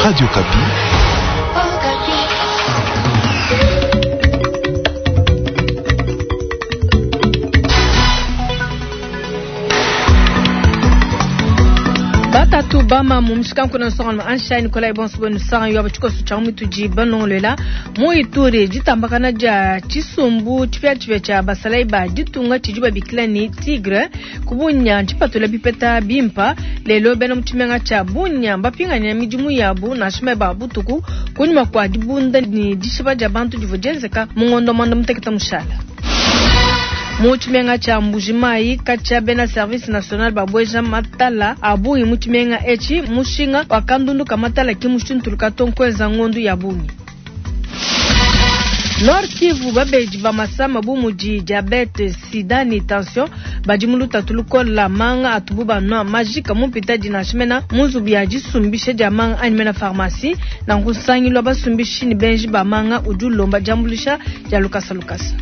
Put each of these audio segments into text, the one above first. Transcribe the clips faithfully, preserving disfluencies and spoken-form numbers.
Radio Okapi. Batatu bama mu mushikanku na nsonga ansha Nikolai bonso bwenu sanga yo abachikoso cha mituji banongolela mu Ituri ditambakana dia chisumbu chipya chipya cha basalai ba ditunga tshidi babikila ni tigre kubunya tshipatula bipeta bimpa lelo bena mu tshimenga tsha bunya bapinganya midimu yabu na shima ba butuku kunyuma kwa dibunda ni dishiba dia bantu divua dienzeka mu ngondo mwanda muteketa mushala. Mu tshimenga tsha Mbujimayi katshia bena service national babweja matala abungi mu tshimenga etshi mushinga wakandunduka matala ki mushintuluka to nkweza ngondu ya bungi. Nord Kivu babeji ba masama bu mudi diabete, sida ni tension badi mu lutatu lukola manga atubu banwa majika mu mpita dinashimena mu nzubu ya disumbisha dia manga anyi mena pharmacie na nkusangilwa basumbishi ni benji ba manga udi ulomba diambuluisha dia lukasa lukasa.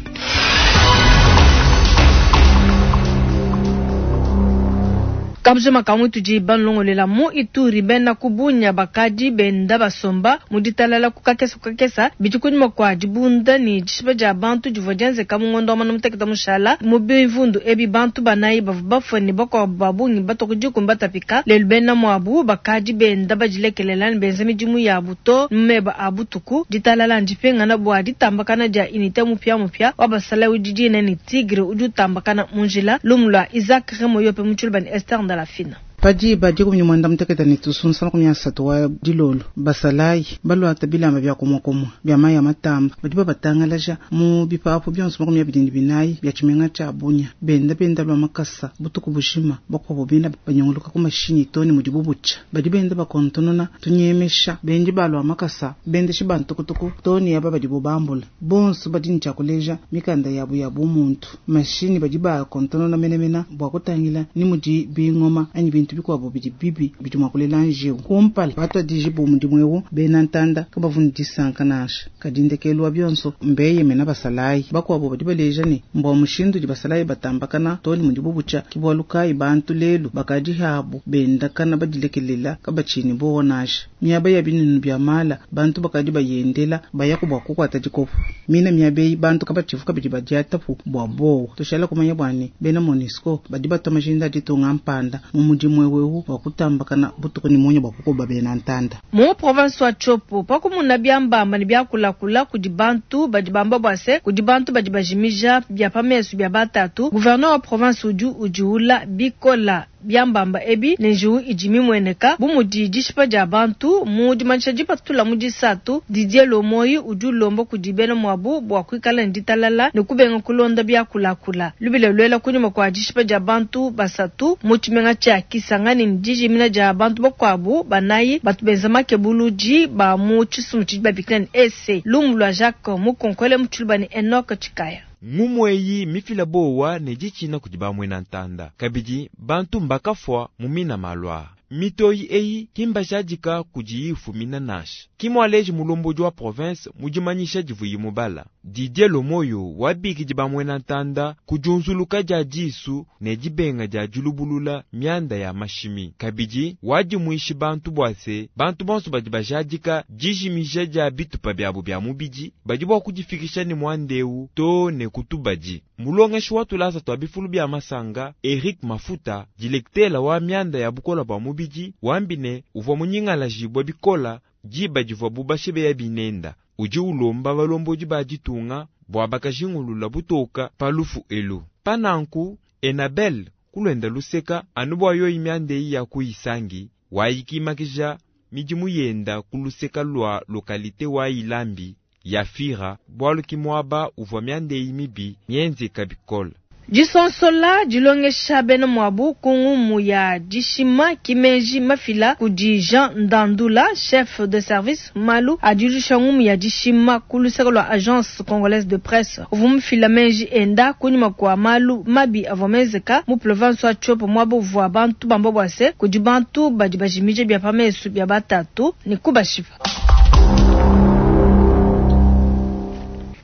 Kabujima kamwe tudi banlongolela mu Ituri bena kubunya bakadi benda basomba mu ditalala kukakesa kukakesa bidi kunyuma kwa dibunda ni dishiba dia bantu divua dienzeka mu ngondo wa mwanda mutekete mushala mu bivundu ebi bantu banayi bavua bafue ne bakuabu ba bungi batoka dikumi batapika lelu bena muabu bakadi benda badilekelela ne benza midimu yabu to mu meba a butuku ditalala ndipingana bua ditambakana dia unité mupiamupia wa basalayi udi dina ni tigre udi utambakana mu njila lumu lua Isaac Remoyope mu tshiluba ni Esther Ndalafina. Padi badi kumnyi mwanda mutekete ne tusunsa makumi asatu wa dilolo basalayi baluata bilamba bya kumwakumwa bya mayi ya matamba badi babatangalaja mu bipapu bionso makumi abidi ne binayi bya tshimenga tsha bunya benda benda lwa makasa butuku bushima bakuabo benda banyunguluka ku mashinyi toni mudi bubucha badi benda bakontonona tunyemesha bendi balwa makasa bendeshi bantukutuku toni yaba badi bubambula bonso badi ne tshiakuleja mikanda yabu ya bumuntu mashinyi badi bakontonona menemena bua kutangila ni mudi bingoma anyi bintu bikuabo bidi bibi bidi mua kulela njiwu kumpala batwadiji bu mudimu ewu bena ntanda kabavuni disanka nansha kadi ndekelu wa bionso mbeyemena basalayi bakuabo badi baleja ne mbua mushindu di basalayi batambakana toni mudi bubucha kibualu kayi bantu lelu bakadi habu bendakana badilekelela kabatshini bowa nansha miaba ya binunu bya mala bantu bakadi bayendela bayaku bua kukuata dikopo mina miaba eyi bantu kabatshivu kabidi badiatapu bua bowa tushala kumanya bua ne bena MONUSCO badi batwa majinda aditunga mpanda mu mudimu wewu wa kutambakana butuku ni munya bwa kukoba bena ntanda. Mu province wa Tshopo pakumuna byambamba ne byakulakula kudi bantu badi bamba bua se kudi bantu badi bajimija bya pamesu bya batatu gouverneur wa province udi udiula bikola byambamba ebi ne njiwu idi mimweneka bu mudi dishipa dia bantu mu dimanyisha dipatula mu disatu Didier Lomoyi udi ulomba kudi bena muabu bua kuikala ne ditalala ne kubenga kulonda byakulakula lubila luela kunyuma kwa dishipa dia bantu basatu mu tshimenga tshia Kisangani ne dijimina dia bantu bakuabu banayi batu benza makebuludi ba mu tshisumbu tshidi babikila ne E C lumu lua Jacques Mukonkole mu tshiluba ne Enoch Tshikaya. Ngumu eyi mifila bowa ne ditshina kudi bamwena ntanda kabidi bantu mbakafua mu mina malwa mitoyi eyi kimbajadika kudi ifumina nansha kimwaleji mulombodi wa province mudimanyisha divuyi mubala Didier Lomoyo wabikidi bamwena ntanda kujunzuluka dia disu ne dibenga dia dilubulula mianda ya mashimi kabidi wadimuishi bantu bua se bantu bonso badi bajadika dijimija dia bitupa byabo bya mubidi badi bua kudifikisha ne mwandeu to ne kutubadi mulongeshi wa tulasa twa bifulu bya masanga Eric Mafuta dilektela wa mianda ya bukola bwa mubidi wambine uvua munyingalajibwa bikola diba divua bubashebeya binenda udi ulomba balombodi ba ditunga bua bakajingulula butoka pa lufu elu pananku Enabel kulwenda luseka anu bua yoyi mianda eyi ya kuyisangi wayikimakija midimu yenda ku luseka lua lokalite wa Ilambi ya Fira bualu ki muaba uvua mianda eyi mibi mienzeka bikola. Disonsola dilongesha bena muabu ku ngumu ya dishima kimenji mafila kudi Jean Ndandula chef de service malu adilusha ngumu ya dishima ku luseke lua agence congolaise de presse uvua mufila menji enda kunyima kua malu mabi avua menzeka mu province wa Tshopo muaba uvua bantu bamba bua se kudi bantu badi bajimija bya pamesu bya batatu ne kubashipa.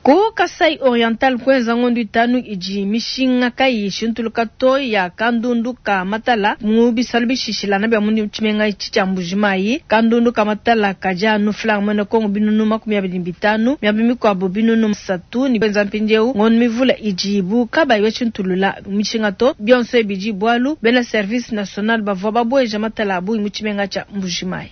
Ku Kasai Oriental kuenza ngondu itanu idi mishinga kayi ishintuluka to ya kandundu ka matala mu bisalu bishishilana bia mu tshimenga etshi tshia Mbujimayi. Kandundu ka matala kadi anu franc muena Kongo binunu makumi abidi ne bitanu, miaba mikuabu binunu bisatu ne kuenza mpindieu ngondu mivula idibu kabayi bashintulula mishinga to. Bionso ebi bidi bualu bena service national bavua babueja matala a bungi mu tshimenga tshia Mbujimayi.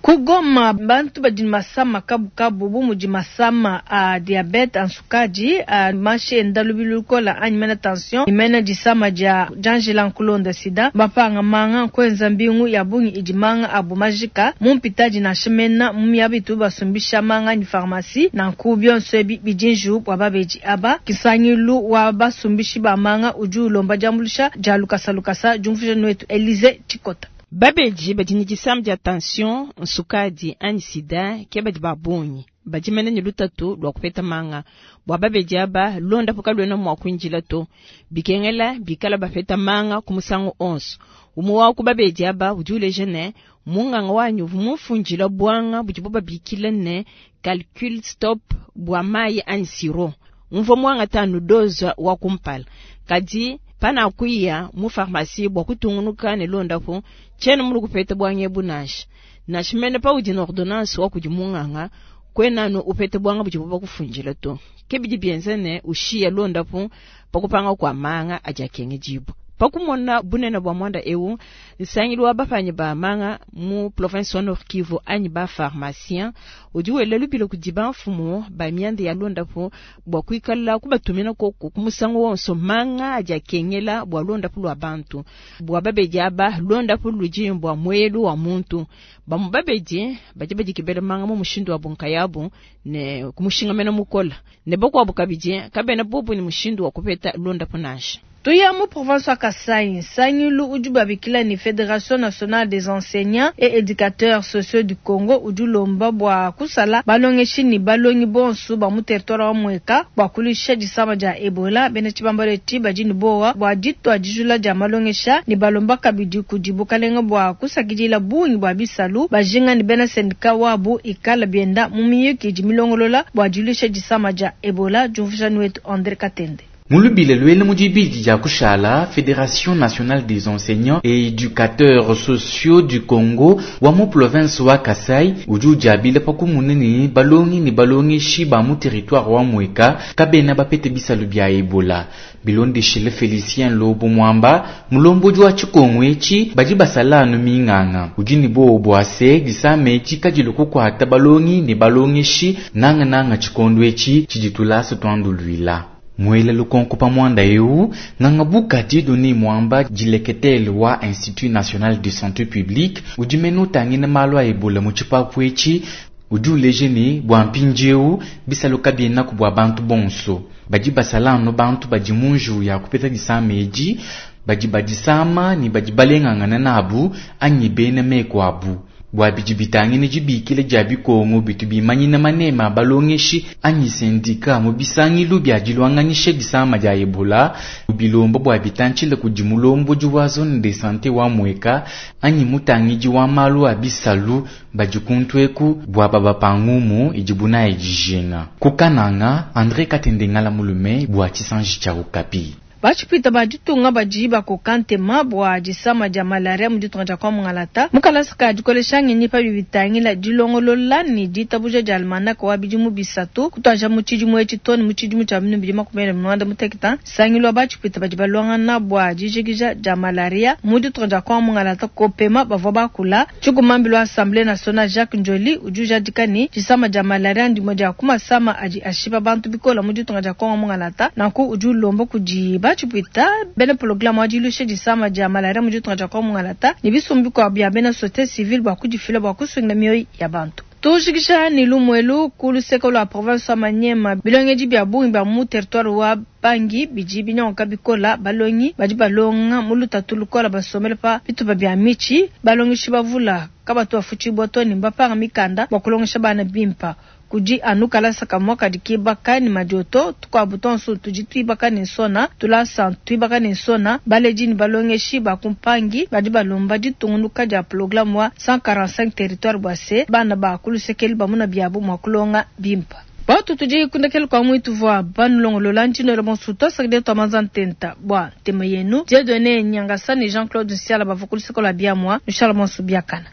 Ku Goma, bantu badi ne masama kabukabu bu mudi masama a diabete, a nsukadi, a mashi enda lubilu lukola anyi mena tension ne mena disama dia dianjila nkulonda sida, mbapanga manga nkuenza mbingu ya bungi idi manga abu majika mu mpitadi nansha mena mu miaba itu basumbisha manga anyi pharmacie. Nanku bionso ebi bidi njiwu bua babedi aba. Nsangilu wa basumbishi ba manga udi ulomba diambuluisha dia lukasa lukasa. Diumvuija nuetu Elise Tshikota. Babedi badi ne disama dia tension, nsukadi anyi sida ke badi ba bungi badi mene ne lutatu lua kupeta manga. Bua babedi aba londapu kaluena mua kuindila to, bikengela bikala bapeta manga ku musangu onso. Umue wa ku babedi aba udi uleja ne munganga wanyi uvua mumfundila buanga budibu babikila ne calcul stop bua mayi anyi siro. Mvua muangata anu dose wa kumpala, kadi panakuya mu pharmacie bua kutungunuka ne londapu tshiena mulu kupeta buanga ebu nansha. Nansha mene paudi ne ordonnance wa kudi munganga kuena anu upete buanga budibu bakufundila to. Ke bidi bienza ne ushiya londapu pakupanga kua manga adi akengedibua. Pakumona bunene bua muanda eu, nsangilu wa bapanyi ba manga mu province wa Nord Kivu anyi ba pharmacien udi wela lubilo kudi bamfumu ba mianda ya londapu bua kuikala kubatumina koku ku musangu wonso manga adi akengela bua londapu lua bantu. Bua babedi aba londapu ludi bua muelu wa muntu. Bamu babedi badi badikebela manga mu mushindu wa bunkayabu ne kumushingamena mukola ne bakuabu kabidi kabena bobu ne mushindu wa kupeta londapu nansha. Tuya mu province wa Kasai, nsangilu udi babikila ni Fédération nationale des enseignants et éducateurs sociaux du Congo udi ulomba bua kusala balongeshi ne balongi bonso ba mu territoire wa Mweka bua kuluisha disama dia Ebola. Bena tshibambalu etshi badi ne bowa bua ditua dijula dia malongesha ne balomba kabidi kudi bukalenga bua kusakidila bungi bua bisalu bajinga ne bena syndicat wabu ikala bienda mu miyuki idi milongolola bua diluisha disama dia Ebola. Diumvuija wetu André Katende. Mulubile luele mu dibidi dia kushala Fédération nationale des enseignants et éducateurs sociaux du Congo wa mu province wa Kasai udi udiabile pa kumuna ne balongi ne balongeshi ba mu territoire wa Mweka kabena bapete bisalu bia Ebola. Bilondeshile Félicien Lobo Mwamba mulombodi wa tshikongo etshi badi basala anu minganga udi ne bobo bua se disama etshi kadilu kukuata balongi ne balongeshi nangananga tshikondo etshi tshidi tulasa tuanduluila. Mwele lukonko pa mwanda eu nganga buka Dieudonné Mwamba dileketele wa Institut National de Santé Publique udi mene utangina malu a Ebola mu tshipapu etshi udi uleja ne bua mpindieu bisalu kabienaku bua bantu bonso badi basala anu bantu badi mu njiwu ya kupeta disama edi badi badisama ne badi balengangana nabu anyi bena meku abu. Bua bidi bitangine dibikila dia bikongo bitu bimanyina manema balongeshi anyi sendika mu bisangilu bia dilwanganisha disama dia Ebola bilombo bua bitantshile kudi mulombodi wa zone de santé wa Mweka anyi mutangidi wa malu a bisalu badi kuntweku bua babapangumu idi bunayi dijinga. Kukananga André Katende ngala mulume bua tshisanji tshia Okapi. Batshipwita ba ditunga badi bakoka ntema bua disama dia malaria mu ditunga dia Kongo Mungalata. Mu kalasa ka dikolesha ngenyi pa bibitangila dilongolola ne ditabuja dia almanaka wa bidimu bisatu kutuadija mu tshidimu etshi too ne mu tshidimu tshia binunu bibidi makumi abidi ne muanda mutekete. Nsangilu wa batshipwita badi baluangana bua dijikija dia malaria mu ditunga dia Kongo Mungalata kopema bavua bakula. Tshikumambilu wa Assemblée nationale Jacques Ndjoli udi ujadika ne disama dia malaria ndimue dia ku masama adi ashipa bantu bikola mu ditunga dia Kongo Mungalata. Nanku udi ulomba kudi batshipwita bena programme wa dilusha disama dia malaria mu ditunga dia Kongo Mungalata ne bisumbu bikuabu bia bena société civile bua kudifila bua kusungila mioyo ya bantu. Tujikisha ni lumwelu ku luseke lua province wa Maniema bilongedi bia bungi bia mu territoire wa Pangi bidi binyonka bikola balongi badi balonga mu lutatu lukola basomela pa bitupa bia mitshi balongeshi bavula kabatu bafutshibua to ne mbapanga mikanda bua kulongesha bana bimpa. Kudi anu kalasa kamua kadi kibaka ne madioto, tukuabu tonsu tudi tuibaka ne nsona. Tulasa ntuibaka ne nsona. Baledi ne balongeshi ba ku Mpangi badi balomba ditungunuka dia pologalama wa cent quarante-cinq territoires bua se bana ba ku luseke elu bamuna biabu mua kulonga bimpa. Batu tudi kundekelu kwa mwitu vua banulongolola ntshinoela bonso tuasakidila tua manza ntenta bua ntema yenu. Dieudonné Nyangasa ne Jean-Claude Nsiala bavua ku luseke lua biamua. Nushala bonso biakana.